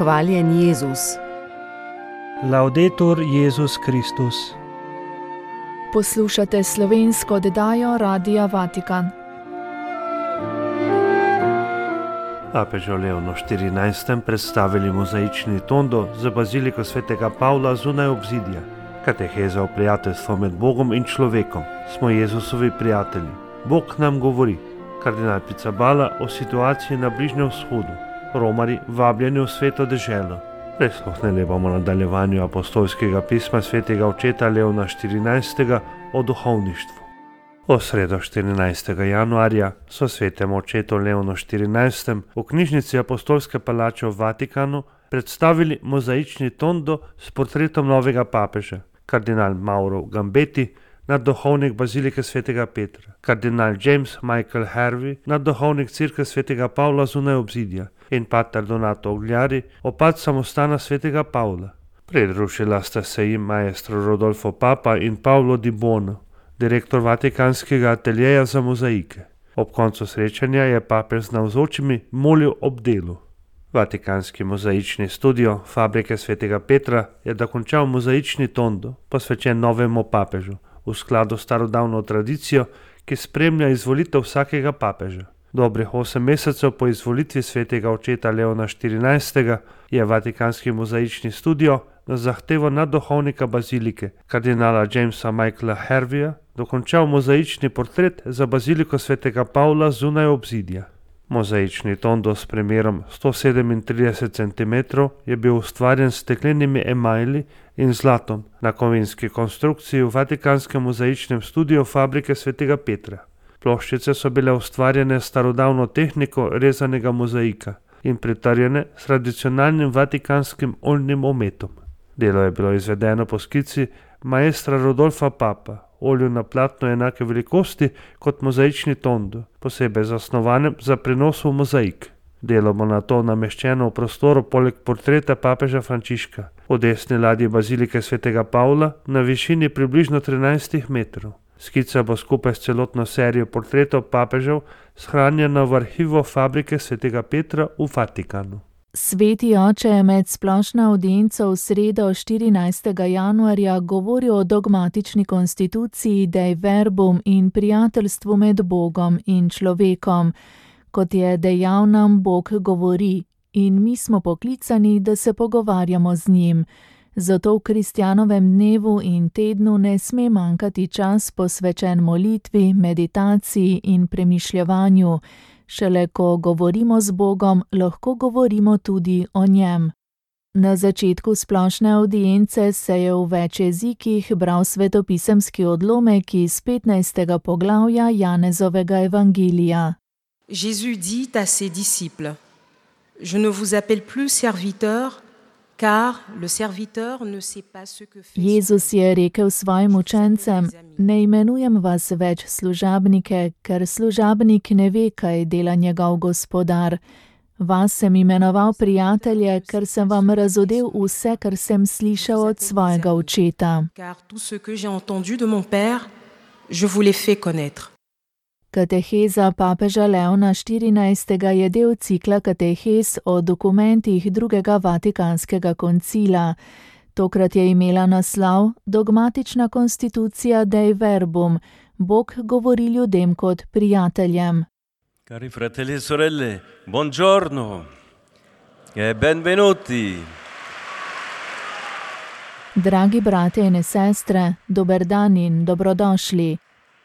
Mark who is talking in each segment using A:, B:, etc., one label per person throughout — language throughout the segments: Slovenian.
A: Hvaljen Jezus.
B: Laudetur Jezus Kristus.
C: Poslušate slovensko oddajo Radia Vatikan.
B: Papežu Leonu XIV. Predstavili mozaični tondo za baziliko svetega Pavla zunaj obzidja. Kateheza o prijateljstvu med Bogom in človekom. Smo Jezusovi prijatelji. Bog nam govori. Kardinal Pizzaballa o situaciji na Bližnjem vzhodu. Romari vabljeni v sveto deželo. Prisluhnili bomo nadaljevanju apostolskega pisma svetega očeta Leona XIV. O duhovništvu. V sredo 14. januarja so svetemu očetu Leonu XIV. V knjižnici Apostolske palače v Vatikanu predstavili mozaični tondo s portretom novega papeža, kardinal Mauro Gambetti, nadduhovnik bazilike svetega Petra, kardinal James Michael Harvey, nadduhovnik cerkve svetega Pavla zunaj obzidja, in pater Donato Ogliari, opat samostana svetega Pavla. Pridružila sta se jim maestro Rodolfo Papa in Paolo Di Buono, direktor Vatikanskega ateljeja za mozaike. Ob koncu srečanja je papež z navzočimi molil ob delu. Vatikanski mozaični studio fabrike svetega Petra je dokončal mozaični tondo, posvečen novemu papežu, v skladu s starodavno tradicijo, ki spremlja izvolitev vsakega papeža. Dobrih 8 mesecev po izvolitvi svetega očeta Leona XIV. Je Vatikanski mozaični studio na zahtevo nadduhovnika bazilike, kardinala Jamesa Michaela Harveya, dokončal mozaični portret za baziliko svetega Pavla zunaj obzidja. Mozaični tondo s premerom 137 cm je bil ustvarjen s steklenimi emajli in zlatom na kovinski konstrukciji v Vatikanskem mozaičnem studiu fabrike svetega Petra. Ploščice so bile ustvarjene s starodavno tehniko rezanega mozaika in pritrjene s tradicionalnim vatikanskim oljnim ometom. Delo je bilo izvedeno po skici maestra Rodolfa Papa, olju na platno enake velikosti kot mozaični tondo, posebej zasnovanem za prenos v mozaik. Delo bo nato nameščeno v prostoru poleg portreta papeža Frančiška, v desni ladji bazilike svetega Pavla na višini približno 13 metrov. Skica bo skupaj s celotno serijo portretov papežev shranjena v arhivu fabrike svetega Petra v Vatikanu.
C: Sveti oče je med splošno avdienco v sredo 14. januarja govoril o dogmatični konstituciji Dei Verbum in prijateljstvu med Bogom in človekom. Kot je dejal nam, Bog govori in mi smo poklicani, da se pogovarjamo z njim. Zato v kristjanovem dnevu in tednu ne sme manjkati čas posvečen molitvi, meditaciji in premišljevanju. Šele ko govorimo z Bogom, lahko govorimo tudi o njem. Na začetku splošne avdience se je v več jezikih bral svetopisemski odlomek iz 15. poglavja Janezovega evangelija.
D: Jésus dit à ses disciples: Je ne vous appelle plus serviteur, car le serviteur ne sait pas ce que fait.
C: Jezus je rekel svojim učencem: Ne imenujem vas več služabnike, ker služabnik ne ve, kaj dela njegov gospodar. Vas sem imenoval prijatelje, ker sem vam razodel vse, kar sem slišal od svojega očeta.
D: Car tout ce que j'ai entendu de mon père, je vous l'ai fait connaître.
C: Kateheza papeža Leona XIV. Je del cikla katehez o dokumentih drugega Vatikanskega koncila. Tokrat je imela naslov Dogmatična konstitucija Dei Verbum. Bog govori ljudem kot prijateljem.
E: Cari fratelli e sorelle, buongiorno e benvenuti.
C: Dragi brate in sestre, dober dan in dobrodošli.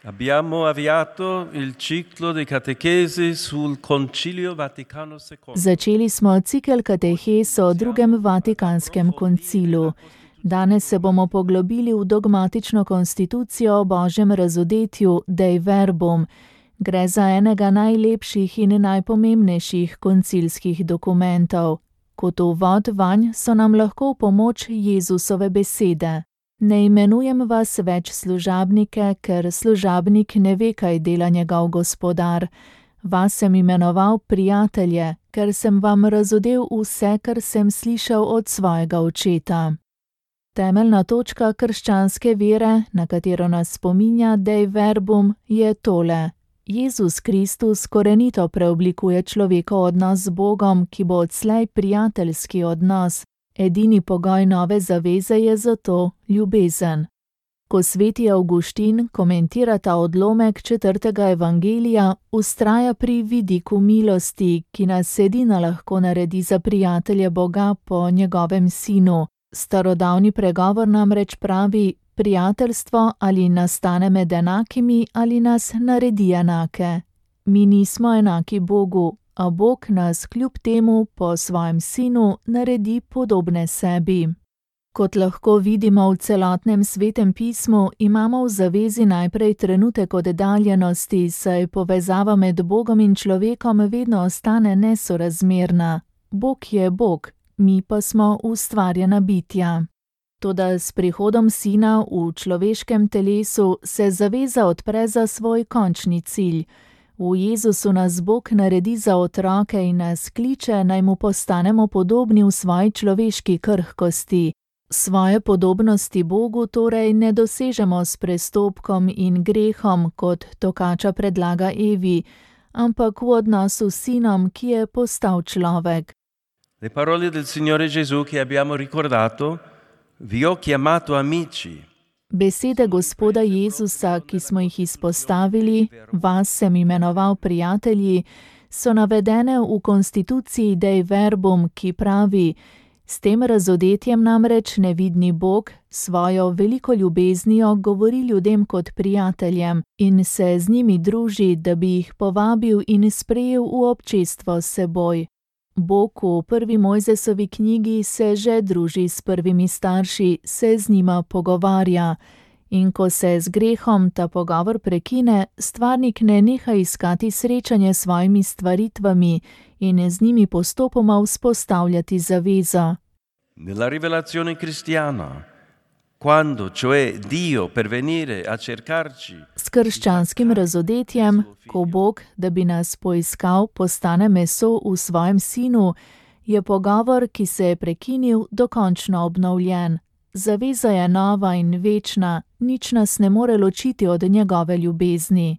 E: Abbiamo avviato il ciclo di catechesi sul Concilio Vaticano II.
C: Začeli smo cikel katehez o drugem Vatikanskem koncilu. Danes se bomo poglobili v dogmatično konstitucijo o Božjem razodetju Dei Verbum. Gre za enega najlepših in najpomembnejših koncilskih dokumentov. Kot uvod vanj so nam lahko v pomoč Jezusove besede. Ne imenujem vas več služabnike, ker služabnik ne ve, kaj dela njegov gospodar. Vas sem imenoval prijatelje, ker sem vam razodel vse, kar sem slišal od svojega očeta. Temeljna točka krščanske vere, na katero nas spominja Dei Verbum, je tole: Jezus Kristus korenito preoblikuje človekov odnos z Bogom, ki bo odslej prijateljski odnos. Edini pogoj nove zaveze je zato ljubezen. Ko sveti Avguštin komentira ta odlomek 4. evangelija, vztraja pri vidiku milosti, ki nas edina lahko naredi za prijatelje Boga po njegovem sinu. Starodavni pregovor namreč pravi: prijateljstvo ali nastane med enakimi ali nas naredi enake. Mi nismo enaki Bogu, a Bog nas kljub temu po svojem sinu naredi podobne sebi. Kot lahko vidimo v celotnem svetem pismu, imamo v zavezi najprej trenutek oddaljenosti, saj povezava med Bogom in človekom vedno ostane nesorazmerna. Bog je Bog, mi pa smo ustvarjena bitja. Toda s prihodom sina v človeškem telesu se zaveza odpre za svoj končni cilj. V Jezusu nas Bog naredi za otroke in nas kliče, naj mu postanemo podobni v svoji človeški krhkosti. Svoje podobnosti Bogu torej ne dosežemo s prestopkom in grehom, kot Tokača predlaga Evi, ampak v odnosu s sinom, ki je postal človek.
E: Le parole del Signore Gesù che abbiamo ricordato: vi ho chiamato amici.
C: Besede Gospoda Jezusa, ki smo jih izpostavili, vas sem imenoval prijatelji, so navedene v konstituciji Dei Verbum, ki pravi: s tem razodetjem namreč nevidni Bog svojo veliko ljubeznijo govori ljudem kot prijateljem in se z njimi druži, da bi jih povabil in sprejel v občestvo s seboj. Bog v prvi Mojzesovi knjigi se že druži s prvimi starši, se z njima pogovarja. In ko se z grehom ta pogovor prekine, stvarnik ne neha iskati srečanje s svojimi stvaritvami in z njimi postopoma vzpostavljati zavezo.
E: Nella rivelazione cristiana, quando cioè Dio per venire a cercarci,
C: s krščanskim razodetjem, ko Bog, da bi nas poiskal, postane meso v svojem sinu, je pogovor, ki se je prekinil, dokončno obnovljen. Zaveza je nova in večna, nič nas ne more ločiti od njegove ljubezni.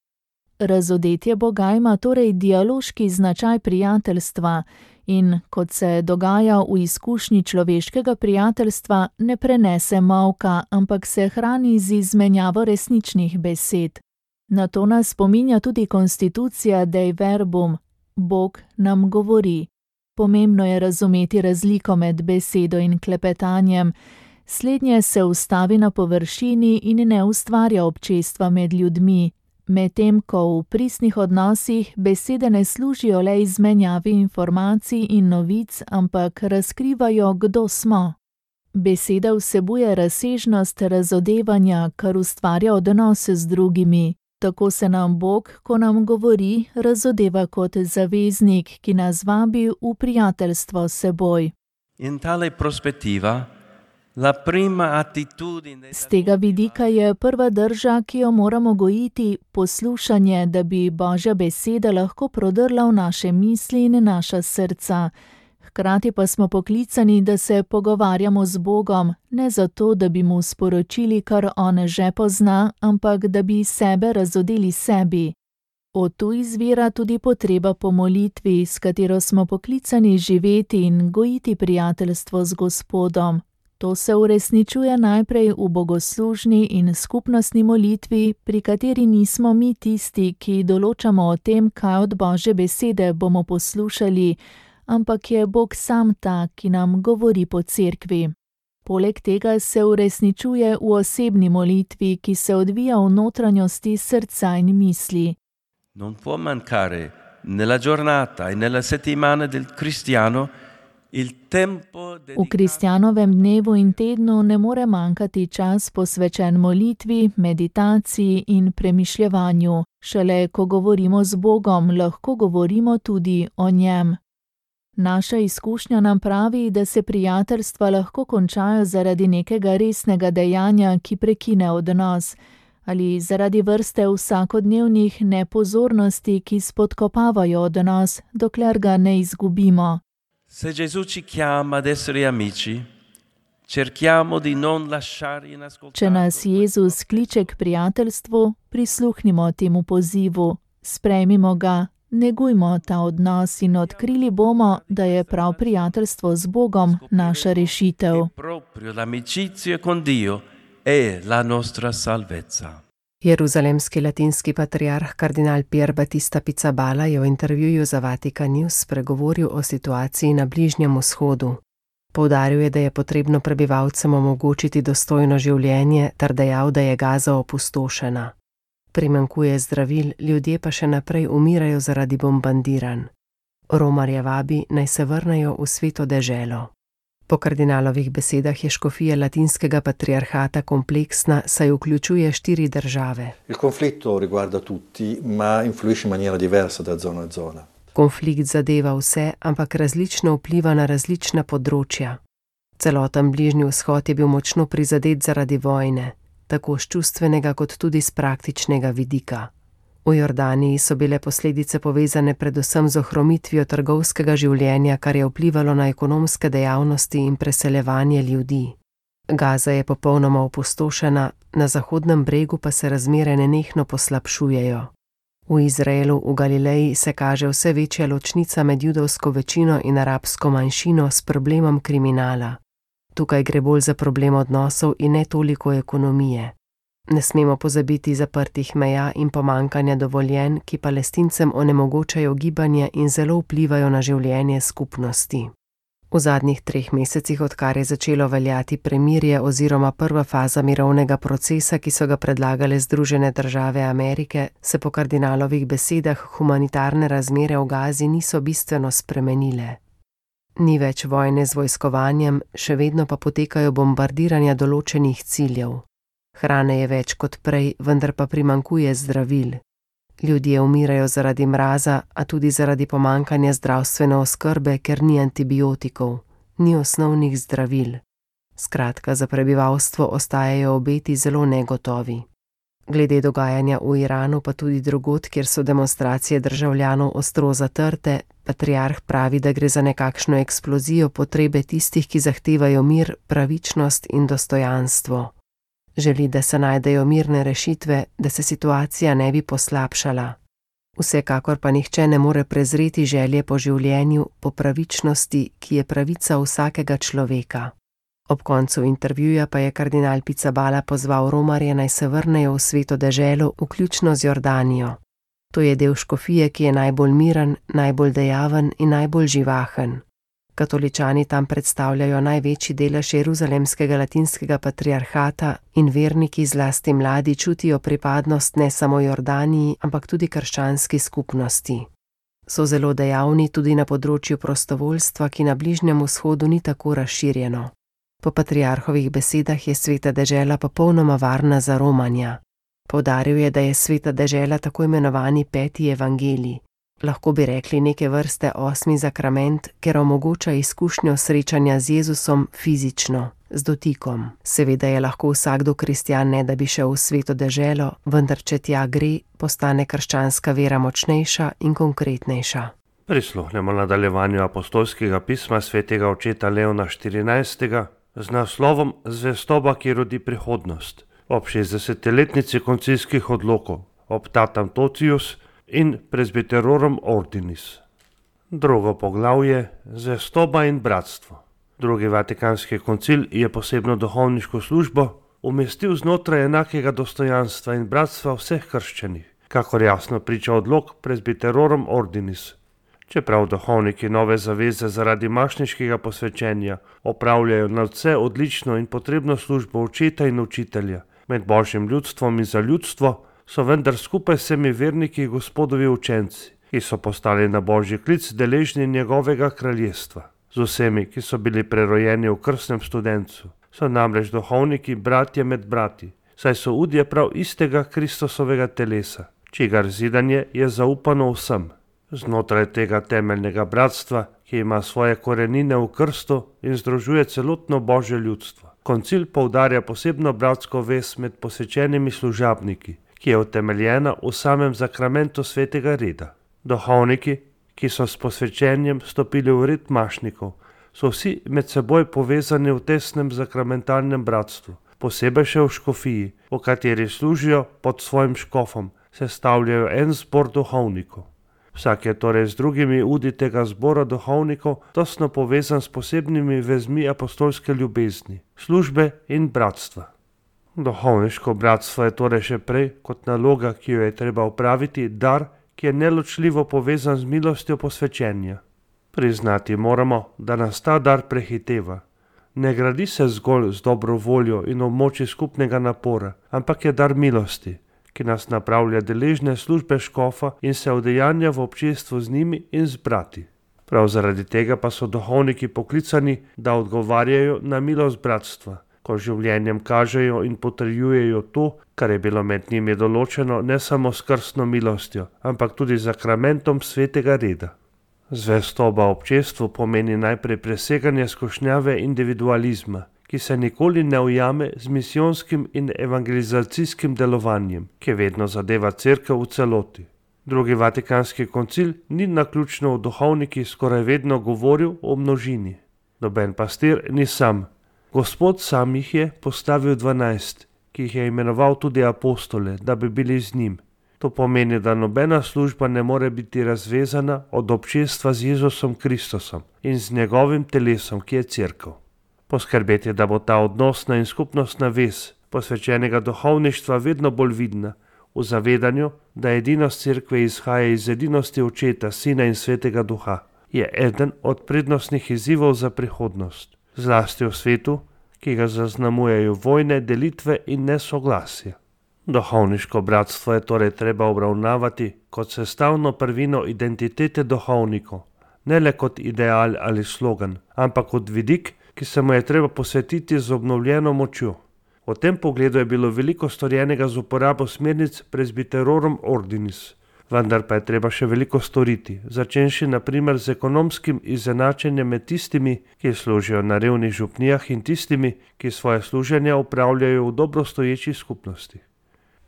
C: Razodetje Boga ima torej dialoški značaj prijateljstva in, kot se dogaja v izkušnji človeškega prijateljstva, ne prenese molka, ampak se hrani z izmenjavo resničnih besed. Na to nas spominja tudi konstitucija Dei Verbum. Bog nam govori. Pomembno je razumeti razliko med besedo in klepetanjem. Slednje se ustavi na površini in ne ustvarja občestva med ljudmi, medtem ko v pristnih odnosih besede ne služijo le izmenjavi informacij in novic, ampak razkrivajo, kdo smo. Beseda vsebuje razsežnost razodevanja, kar ustvarja odnose z drugimi. Tako se nam Bog, ko nam govori, razodeva kot zaveznik, ki nas vabi v prijateljstvo s seboj.
E: in tale prospettiva la prima attitudine.
C: Z tega vidika je prva drža, ki jo moramo gojiti, poslušanje, da bi Božja beseda lahko prodrla v naše misli in naša srca. Hkrati pa smo poklicani, da se pogovarjamo z Bogom, ne zato, da bi mu sporočili, kar on že pozna, ampak da bi sebe razodeli sebi. Od tu izvira tudi potreba po molitvi, s katero smo poklicani živeti in gojiti prijateljstvo z Gospodom. To se uresničuje najprej v bogoslužni in skupnostni molitvi, pri kateri nismo mi tisti, ki določamo o tem, kaj od Božje besede bomo poslušali, ampak je Bog sam ta, ki nam govori po cerkvi. Poleg tega se uresničuje v osebni molitvi, ki se odvija v notranjosti srca in misli.
E: Non può mancare nella giornata e nella settimana del cristiano il tempo
C: V kristjanovem dnevu in tednu ne more manjkati čas posvečen molitvi, meditaciji in premišljevanju. Šele ko govorimo z Bogom, lahko govorimo tudi o njem. Naša izkušnja nam pravi, da se prijateljstva lahko končajo zaradi nekega resnega dejanja, ki prekine odnos, ali zaradi vrste vsakodnevnih nepozornosti, ki spodkopavajo odnos, dokler ga ne izgubimo.
E: Se Gesù ci chiama ad essere amici, cerchiamo di non lasciare inascoltato.
C: Če nas Jezus kliče k prijateljstvu, prisluhnimo temu pozivu. Sprejmimo ga, negujmo ta odnos in odkrili bomo, da je prav prijateljstvo z Bogom naša rešitev.
E: Proprio l'amicizia con Dio è la nostra salvezza.
A: Jeruzalemski latinski patriarh kardinal Pier Battista Pizzaballa je v intervjuju za Vatikan News spregovoril o situaciji na Bližnjem vzhodu. Poudaril je, da je potrebno prebivalcem omogočiti dostojno življenje, ter dejal, da je Gaza opustošena. Primanjkuje zdravil, ljudje pa še naprej umirajo zaradi bombardiranj. Romarje vabi, naj se vrnejo v sveto deželo. Po kardinalovih besedah je škofija latinskega patriarhata kompleksna, saj vključuje 4 države.
F: Il conflitto riguarda tutti, ma influisce in maniera diversa da zona a zona.
A: Konflikt zadeva vse, ampak različno vpliva na različna področja. Celoten Bližnji vzhod je bil močno prizadet zaradi vojne, tako s čustvenega kot tudi s praktičnega vidika. V Jordaniji so bile posledice povezane predvsem z ohromitvijo trgovskega življenja, kar je vplivalo na ekonomske dejavnosti in preseljevanje ljudi. Gaza je popolnoma opustošena, na Zahodnem bregu pa se razmere nenehno poslabšujejo. V Izraelu, v Galileji se kaže vse večja ločnica med judovsko večino in arabsko manjšino s problemom kriminala. Tukaj gre bolj za problem odnosov in ne toliko ekonomije. Ne smemo pozabiti zaprtih meja in pomankanja dovoljenj, ki Palestincem onemogočajo gibanje in zelo vplivajo na življenje skupnosti. V zadnjih 3 mesecih, odkar je začelo veljati premirje oziroma prva faza mirovnega procesa, ki so ga predlagale Združene države Amerike, se po kardinalovih besedah humanitarne razmere v Gazi niso bistveno spremenile. Ni več vojne z vojskovanjem, še vedno pa potekajo bombardiranja določenih ciljev. Hrane je več kot prej, vendar pa primanjkuje zdravil. Ljudje umirajo zaradi mraza, a tudi zaradi pomankanja zdravstvene oskrbe, ker ni antibiotikov, ni osnovnih zdravil. Skratka, za prebivalstvo ostajajo obeti zelo negotovi. Glede dogajanja v Iranu pa tudi drugod, kjer so demonstracije državljanov ostro zatrte, patriarh pravi, da gre za nekakšno eksplozijo potrebe tistih, ki zahtevajo mir, pravičnost in dostojanstvo. Želi, da se najdejo mirne rešitve, da se situacija ne bi poslabšala. Vsekakor pa nihče ne more prezreti želje po življenju, po pravičnosti, ki je pravica vsakega človeka. Ob koncu intervjuja pa je kardinal Pizzaballa pozval Romarje, naj se vrnejo v sveto deželo, vključno z Jordanijo. To je del škofije, ki je najbolj miren, najbolj dejaven in najbolj živahen. Katoličani tam predstavljajo največji delež jeruzalemskega latinskega patriarhata in verniki, zlasti mladi, čutijo pripadnost ne samo Jordaniji, ampak tudi krščanski skupnosti. So zelo dejavni tudi na področju prostovoljstva, ki na Bližnjem vzhodu ni tako razširjeno. Po patriarhovih besedah je sveta dežela popolnoma varna za romanja. Poudaril je, da je sveta dežela tako imenovani 5. evangelij. Lahko bi rekli neke vrste 8. zakrament, ker omogoča izkušnjo srečanja z Jezusom fizično, z dotikom. Seveda je lahko vsakdo kristjan, ne da bi šel v sveto deželo, vendar če tja gre, postane krščanska vera močnejša in konkretnejša.
B: Prisluhnemo nadaljevanju apostolskega pisma svetega očeta Leona 14. z naslovom Zvestoba, ki rodi prihodnost, ob 60-letnici koncilskih odlokov, Optatam Totius in Presbyterorum Ordinis. Drugo poglavje, Zvestoba in bratstvo. Drugi Vatikanski koncil je posebno duhovniško službo umestil znotraj enakega dostojanstva in bratstva vseh krščanih, kakor jasno priča odlok Presbyterorum Ordinis. Čeprav duhovniki nove zaveze zaradi mašniškega posvečenja opravljajo nadvse odlično in potrebno službo očeta in učitelja med božjim ljudstvom in za ljudstvo, so vendar skupaj s vsemi verniki Gospodovi učenci, ki so postali na božji klic deležni njegovega kraljestva. Z vsemi, ki so bili prerojeni v krstnem studencu, so namreč duhovniki bratje med brati, saj so udje prav istega Kristusovega telesa, čigar zidanje je zaupano vsem. Znotraj tega temeljnega bratstva, ki ima svoje korenine v krstu in združuje celotno božje ljudstvo, koncil poudarja posebno bratsko vez med posvečenimi služabniki, ki je utemeljena v samem zakramentu svetega reda. Duhovniki, ki so s posvečenjem stopili v red mašnikov, so vsi med seboj povezani v tesnem zakramentalnem bratstvu, posebej še v škofiji, v kateri služijo pod svojim škofom, sestavljajo en zbor duhovnikov. Vsak je torej z drugimi udi tega zbora duhovnikov tesno povezan s posebnimi vezmi apostolske ljubezni, službe in bratstva. Duhovniško bratstvo je torej še prej kot naloga, ki jo je treba opraviti, dar, ki je neločljivo povezan z milostjo posvečenja. Priznati moramo, da nas ta dar prehiteva. Ne gradi se zgolj z dobro voljo in ob moči skupnega napora, ampak je dar milosti, ki nas napravlja deležne službe škofa in se udejanja v občestvu z njimi in z brati. Prav zaradi tega pa so duhovniki poklicani, da odgovarjajo na milost bratstva, ko življenjem kažejo in potrjujejo to, kar je bilo med njimi določeno ne samo s krstno milostjo, ampak tudi z sakramentom svetega reda. Zvestoba občestvu pomeni najprej preseganje skušnjave individualizma, ki se nikoli ne ujame z misijonskim in evangelizacijskim delovanjem, ki vedno zadeva cerkev v celoti. Drugi vatikanski koncil ni naključno o duhovnikih skoraj vedno govoril o množini. Noben pastir ni sam. Gospod sam jih je postavil 12, ki jih je imenoval tudi apostole, da bi bili z njim. To pomeni, da nobena služba ne more biti razvezana od občestva z Jezusom Kristusom in z njegovim telesom, ki je cerkev. Poskrbeti, da bo ta odnosna in skupnostna vez posvečenega duhovništva vedno bolj vidna, v zavedanju, da edinost cerkve izhaja iz edinosti Očeta, Sina in Svetega Duha, je eden od prednostnih izzivov za prihodnost, zlasti v svetu, ki ga zaznamujejo vojne, delitve in nesoglasje. Duhovniško bratstvo je torej treba obravnavati kot sestavno prvino identitete duhovnikov, ne le kot ideal ali slogan, ampak kot vidik, ki se mu je treba posvetiti z obnovljeno močjo. V tem pogledu je bilo veliko storjenega z uporabo smernic Presbyterorum Ordinis, vendar pa je treba še veliko storiti, začenši na primer z ekonomskim izenačenjem med tistimi, ki služijo na revnih župnijah in tistimi, ki svoje služenje opravljajo v dobrostoječi skupnosti.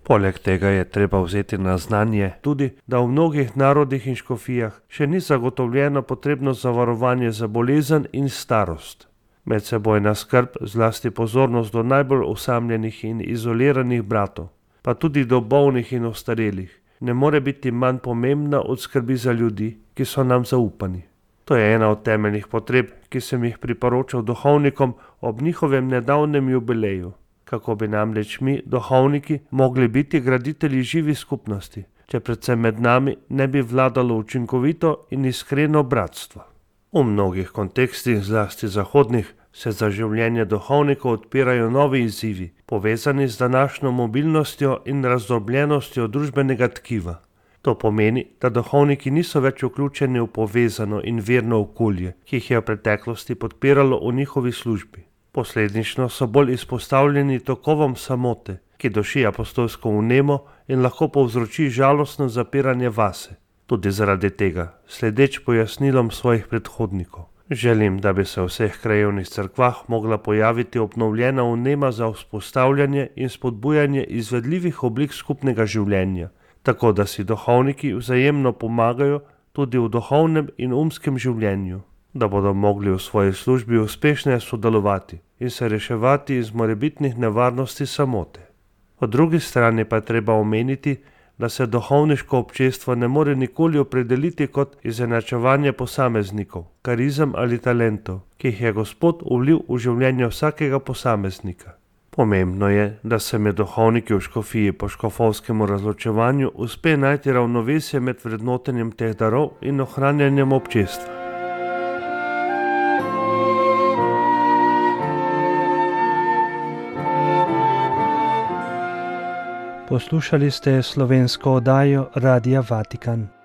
B: Poleg tega je treba vzeti na znanje tudi, da v mnogih narodih in škofijah še ni zagotovljeno potrebno zavarovanje za bolezen in starost. Medsebojna skrb, zlasti pozornost do najbolj osamljenih in izoliranih bratov, pa tudi do bolnih in ostarelih, ne more biti manj pomembna od skrbi za ljudi, ki so nam zaupani. To je ena od temeljnih potreb, ki sem jih priporočal duhovnikom ob njihovem nedavnem jubileju. Kako bi namreč mi, duhovniki, mogli biti graditelji živi skupnosti, če predvsem med nami ne bi vladalo učinkovito in iskreno bratstvo. V mnogih kontekstih, zlasti zahodnih, se za življenje duhovnikov odpirajo novi izzivi, povezani z današnjo mobilnostjo in razdrobljenostjo družbenega tkiva. To pomeni, da duhovniki niso več vključeni v povezano in verno okolje, ki jih je v preteklosti podpiralo v njihovi službi. Posledično so bolj izpostavljeni tokovom samote, ki duši apostolsko vnemo in lahko povzroči žalostno zapiranje vase. Tudi zaradi tega, sledeč pojasnilom svojih predhodnikov, želim, da bi se v vseh krajevnih cerkvah mogla pojaviti obnovljena vnema za vzpostavljanje in spodbujanje izvedljivih oblik skupnega življenja, tako da si duhovniki vzajemno pomagajo tudi v duhovnem in umskem življenju, da bodo mogli v svoji službi uspešno sodelovati in se reševati iz morebitnih nevarnosti samote. Po drugi strani pa je treba omeniti, da se duhovniško občestvo ne more nikoli opredeliti kot izenačevanje posameznikov, karizem ali talentov, ki jih je Gospod vlil v življenje vsakega posameznika. Pomembno je, da se med duhovniki v škofiji po škofovskemu razločevanju uspe najti ravnovesje med vrednotenjem teh darov in ohranjanjem občestva.
G: Poslušali ste slovensko oddajo Radia Vatikan.